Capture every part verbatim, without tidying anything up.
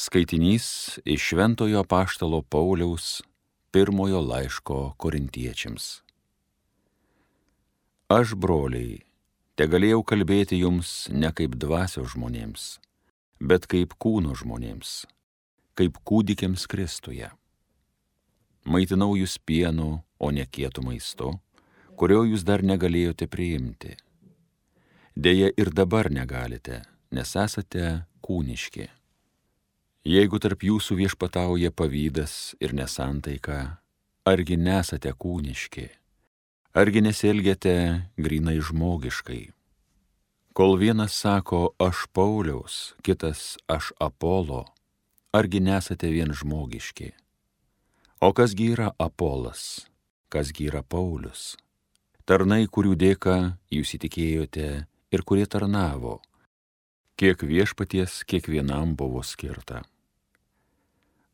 Skaitinys iš Šventojo apaštalo Pauliaus pirmojo laiško korintiečiams. Aš, broliai, tegalėjau kalbėti jums ne kaip dvasios žmonėms, bet kaip kūno žmonėms, kaip kūdikiams Kristuje. Maitinau jūs pienu, o ne kietu maistu, kurio jūs dar negalėjote priimti. Deja ir dabar negalite, nes esate kūniški. Jeigu tarp jūsų viešpatauja pavydas ir nesantaika, argi nesate kūniški, argi nesielgiate grynai žmogiškai. Kol vienas sako aš Pauliaus, kitas aš Apolo, argi nesate vien žmogiški. O kasgi yra Apolas, kasgi yra Paulius? Tarnai, kurių dėka jūs įtikėjote ir kurie tarnavo, kiek viešpaties kiekvienam buvo skirta.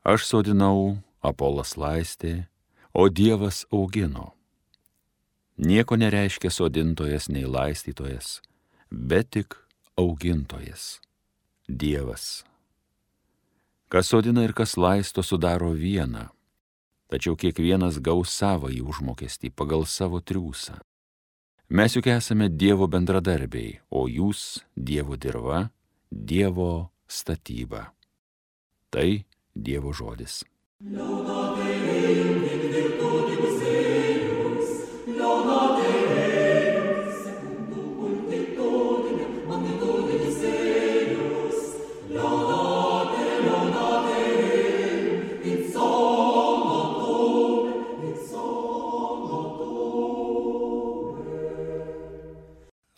Aš sodinau, Apolas laistė, o Dievas augino. Nieko nereiškia sodintojas nei laistytojas, bet tik augintojas, Dievas. Kas sodina ir kas laisto sudaro vieną, tačiau kiekvienas gaus savąjį užmokestį pagal savo triūsą. Mes juk esame Dievo bendradarbiai, o jūs Dievo dirva, Dievo statyba. Tai Dievo žodis.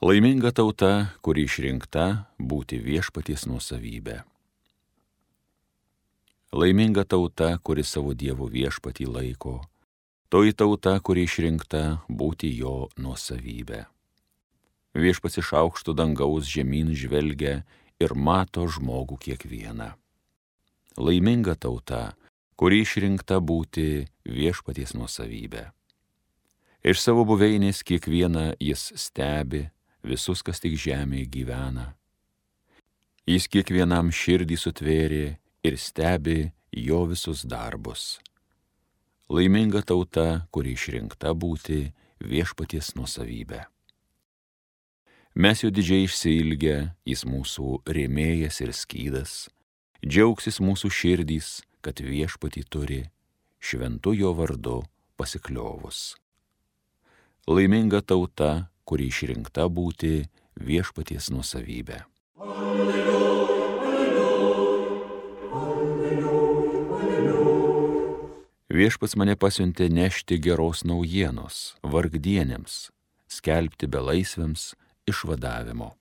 Laiminga tauta, kuri išrinkta būti viešpaties nuosavybė. Laiminga tauta, kuri savo Dievo viešpatį laiko, toji tauta, kuri išrinkta būti jo nuosavybė. Viešpats iš aukšto dangaus žemyn žvelgia ir mato žmogų kiekvieną. Laiminga tauta, kuri išrinkta būti viešpaties nuosavybė. Iš savo buveinės kiekvieną jis stebi, visus, kas tik žemėje gyvena. Jis kiekvienam širdį sutvėrė ir stebi jo visus darbus. Laiminga tauta, kuri išrinkta būti viešpaties nuosavybė. Mes jo didžiai išsiilgę, jis mūsų rėmėjas ir skydas, džiaugsis mūsų širdys, kad viešpatį turi, šventu jo vardu pasikliovus. Laiminga tauta, kuri išrinkta būti viešpaties nuosavybė. Viešpats mane pasiuntė nešti geros naujienos vargdienėms, skelbti belaisviams išvadavimo.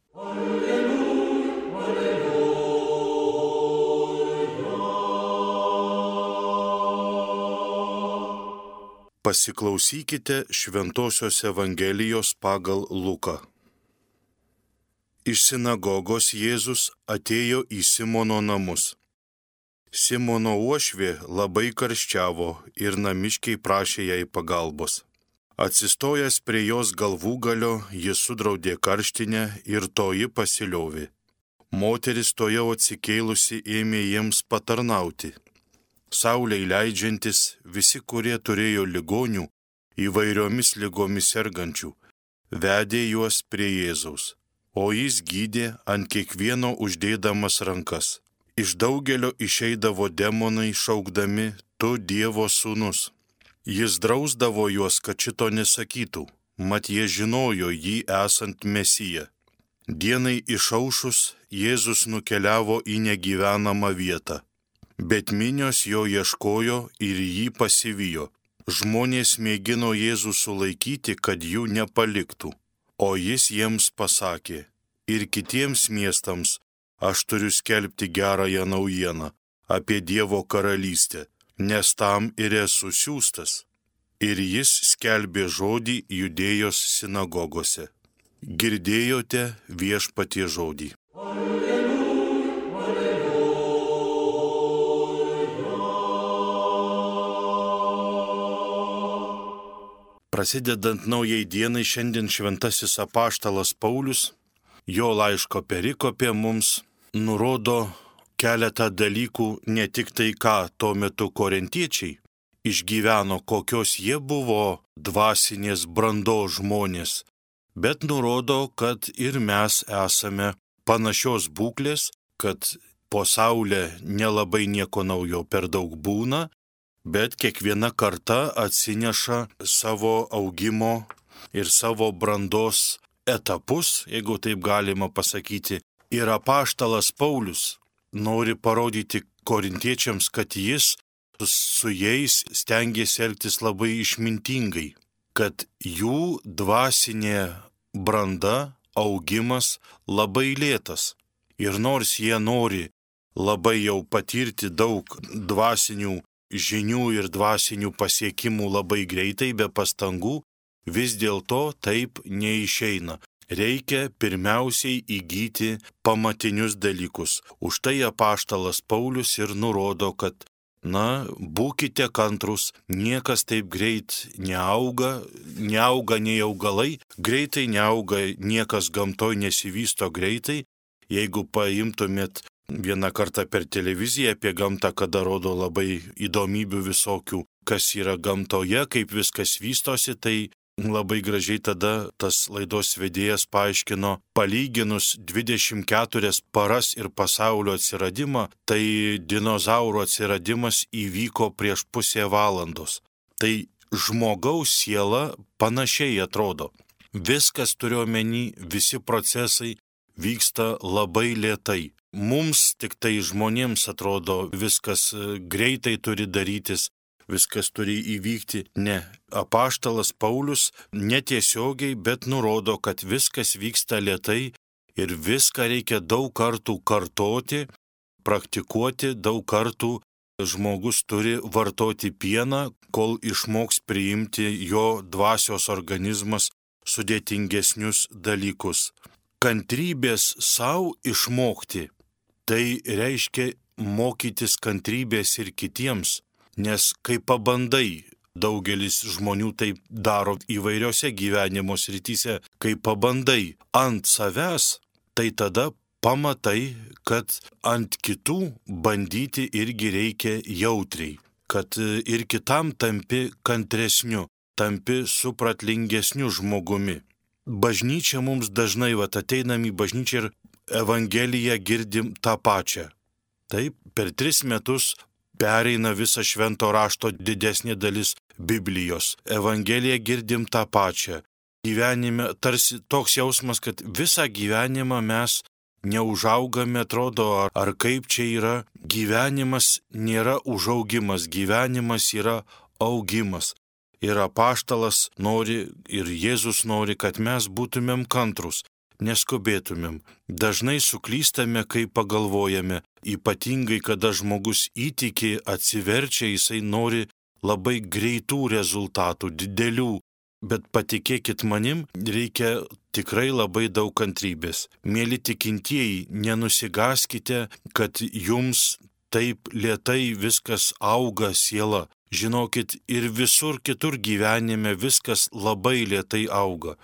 Pasiklausykite Šventosios Evangelijos pagal Luką. Iš sinagogos Jėzus atėjo į Simono namus. Simono uošvė labai karščiavo ir namiškiai prašė jai pagalbos. Atsistojęs prie jos galvūgalio, jis sudraudė karštinę ir toji pasiliovė. Moteris tojau atsikėlusi ėmė jiems patarnauti. Saulei leidžiantis, visi, kurie turėjo ligonių, įvairiomis ligomis sergančių, vedė juos prie Jėzaus, o jis gydė ant kiekvieno uždėdamas rankas. Iš daugelio išeidavo demonai šaukdami, tu Dievo sūnus. Jis drausdavo juos, kad šito nesakytų, mat jie žinojo jį esant Mesiją. Dienai išaušus, Jėzus nukeliavo į negyvenamą vietą. Bet minios jo ieškojo ir jį pasivijo. Žmonės mėgino Jėzų sulaikyti, kad jų nepaliktų. O jis jiems pasakė, ir kitiems miestams aš turiu skelbti gerąją naujieną apie Dievo karalystę, nes tam ir esu siųstas. Ir jis skelbė žodį Judėjos sinagogose. Girdėjote viešpatie žodį. Prasidedant naujai dienai, šiandien šventasis apaštalas Paulius, jo laiško perikopė mums nurodo keletą dalykų ne tik tai, ką tuo metu korintiečiai išgyveno, kokios jie buvo dvasinės brandos žmonės, bet nurodo, kad ir mes esame panašios būklės, kad po saulė nelabai nieko naujo per daug būna, bet kiekviena karta atsineša savo augimo ir savo brandos etapus, jeigu taip galima pasakyti. Ir apaštalas Paulius nori parodyti korintiečiams, kad jis su jais stengiasi elgtis labai išmintingai, kad jų dvasinė branda, augimas labai lėtas. Ir nors jie nori labai jau patirti daug dvasinių žinių ir dvasinių pasiekimų labai greitai, be pastangų, vis dėlto taip neišeina. Reikia pirmiausiai įgyti pamatinius dalykus. Už tai apaštalas Paulius ir nurodo, kad, na, būkite kantrus, niekas taip greit neauga, neauga nei augalai, greitai neauga, niekas gamtoj nesivysto greitai. Jeigu paimtumėt vieną kartą per televiziją apie gamtą, kada rodo labai įdomybių visokių, kas yra gamtoje, kaip viskas vystosi, tai labai gražiai tada tas laidos vedėjas paaiškino, palyginus dvidešimt keturias paras ir pasaulio atsiradimą, tai dinozaurų atsiradimas įvyko prieš pusę valandos. Tai žmogaus siela panašiai atrodo. Viskas turiu omeny, visi procesai vyksta labai lėtai. Mums tik tai žmonėms atrodo viskas greitai turi darytis, viskas turi įvykti. Ne, apaštalas Paulius netiesiogiai, bet nurodo, kad viskas vyksta lėtai ir viską reikia daug kartų kartoti, praktikuoti, daug kartų žmogus turi vartoti pieną, kol išmoks priimti jo dvasios organizmas sudėtingesnius dalykus. Kantrybės savo išmokti, tai reiškia mokytis kantrybės ir kitiems. Nes kai pabandai, daugelis žmonių taip daro įvairiose gyvenimo srityse, kai pabandai ant savęs, tai tada pamatai, kad ant kitų bandyti irgi reikia jautriai, kad ir kitam tampi kantresniu, tampi supratlingesniu žmogumi. Bažnyčia mums dažnai, vat ateinam į bažnyčią ir Evangeliją girdim tą pačią. Taip, per tris metus pereina visą švento rašto didesnė dalis Biblijos. Evangeliją girdim tą pačią. Gyvenime tarsi toks jausmas, kad visą gyvenimą mes neužaugame, atrodo, ar, ar kaip čia yra. Gyvenimas nėra užaugimas, gyvenimas yra augimas. Ir apaštalas nori, ir Jėzus nori, kad mes būtumėm kantrus, neskubėtumėm. Dažnai suklystame, kai pagalvojame, ypatingai kada žmogus įtiki, atsiverčia, jisai nori labai greitų rezultatų, didelių, bet patikėkit manim, reikia tikrai labai daug kantrybės. Mėly tikintieji, nenusigaskite, kad jums taip lėtai viskas auga siela. Žinokit, ir visur kitur gyvenime viskas labai lėtai auga.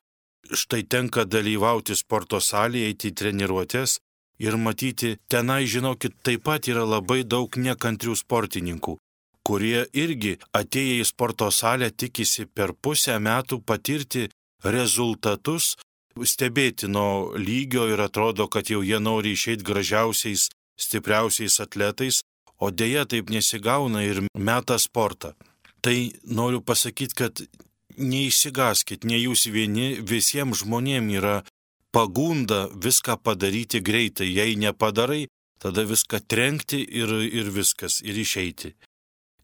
Štai tenka dalyvauti sporto salėje, eiti į treniruotės ir matyti, tenai, žinokit, taip pat yra labai daug nekantrių sportininkų, kurie irgi atėję į sporto salę tikisi per pusę metų patirti rezultatus stebėtino lygio ir atrodo, kad jau jie nori išeiti gražiausiais, stipriausiais atletais, o dėja taip nesigauna ir meta sportą. Tai noriu pasakyti, kad neišsigaskit, ne jūs vieni, visiems žmonėms yra pagunda viską padaryti greitai. Jei nepadarai, tada viską trenkti ir, ir viskas, ir išeiti.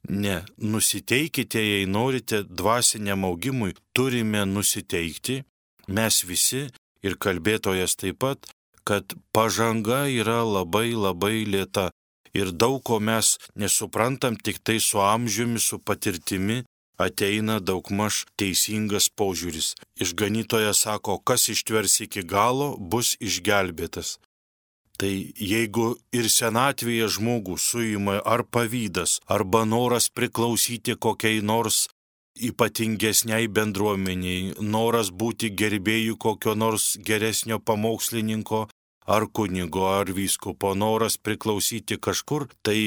Ne, nusiteikite, jei norite dvasiniam augimui, turime nusiteikti, mes visi ir kalbėtojas taip pat, kad pažanga yra labai labai lėta. Ir daug ko mes nesuprantam, tik tai su amžiumi, su patirtimi ateina daugmaž teisingas požiūris. Išganytojas sako, kas ištvers iki galo, bus išgelbėtas. Tai jeigu ir senatvėje žmogų suima ar pavydas, arba noras priklausyti kokiai nors ypatingesniai bendruomeniai, noras būti gerbėjų kokio nors geresnio pamokslininko ar kunigo, ar vyskupo noras priklausyti kažkur, tai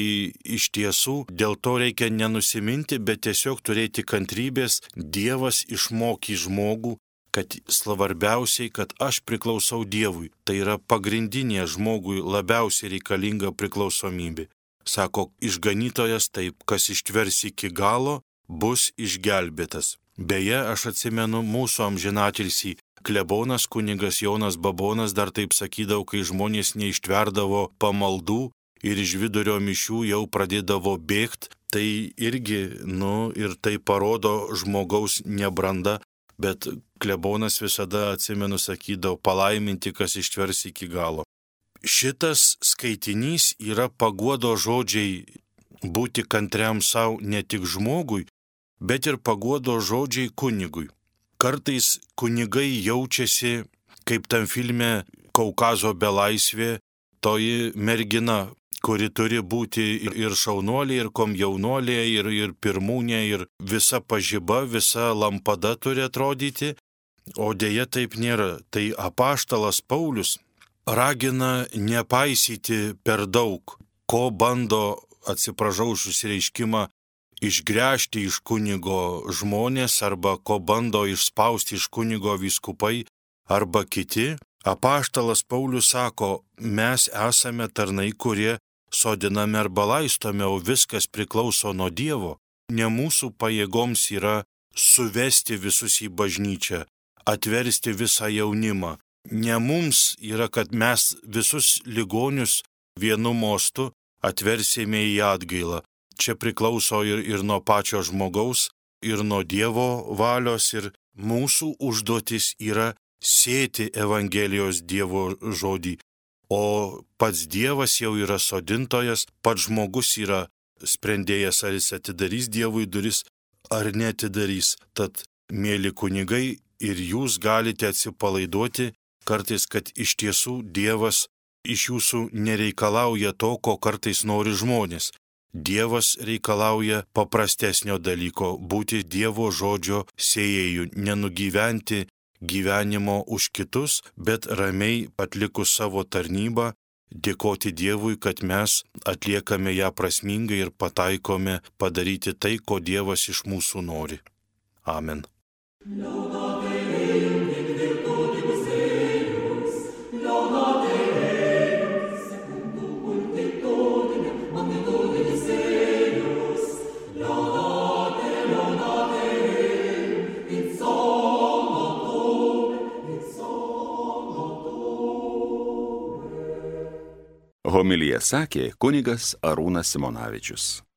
iš tiesų dėl to reikia nenusiminti, bet tiesiog turėti kantrybės. Dievas išmokė žmogų, kad svarbiausiai, kad aš priklausau Dievui. Tai yra pagrindinė žmogui labiausiai reikalinga priklausomybė. Sako išganytojas taip, kas ištvers iki galo, bus išgelbėtas. Beje, aš atsimenu mūsų amžinatilsį klebonas kunigas Jonas Babonas dar taip sakydavo, kai žmonės neištverdavo pamaldų ir iš vidurio mišių jau pradėdavo bėgti, tai irgi, nu, ir tai parodo žmogaus nebrandą, bet klebonas visada, atsimenu, sakydavo, palaiminti, kas ištvers iki galo. Šitas skaitinys yra paguodo žodžiai būti kantriam savo ne tik žmogui, bet ir paguodo žodžiai kunigui. Kartais kunigai jaučiasi, kaip tam filme Kaukazo belaisvė, toji mergina, kuri turi būti ir šaunuolė, ir komjaunuolė, ir, ir pirmūnė, ir visa pažiba, visa lampada turi atrodyti, o dėja taip nėra. Tai apaštalas Paulius ragina nepaisyti per daug, ko bando, atsiprašau už išsireiškimą, išgręžti iš kunigo žmonės arba ko bando išspausti iš kunigo vyskupai arba kiti. Apaštalas Paulius sako, mes esame tarnai, kurie sodiname arba laistome, o viskas priklauso nuo Dievo. Ne mūsų pajėgoms yra suvesti visus į bažnyčią, atversti visą jaunimą. Ne mums yra, kad mes visus ligonius vienu mostu atversime į atgailą. Čia priklauso ir, ir nuo pačio žmogaus, ir nuo Dievo valios, ir mūsų užduotis yra sėti Evangelijos Dievo žodį. O pats Dievas jau yra sodintojas, pats žmogus yra sprendėjas, ar jis atidarys Dievui duris, ar neatidarys. Tad, mėly kunigai, ir jūs galite atsipalaiduoti kartais, kad iš tiesų Dievas iš jūsų nereikalauja to, ko kartais nori žmonės. Dievas reikalauja paprastesnio dalyko – būti Dievo žodžio sėjėjų, nenugyventi gyvenimo už kitus, bet ramiai atlikus savo tarnybą, dėkoti Dievui, kad mes atliekame ją prasmingai ir pataikome padaryti tai, ko Dievas iš mūsų nori. Amen. Homiliją sakė kunigas Arūnas Simonavičius.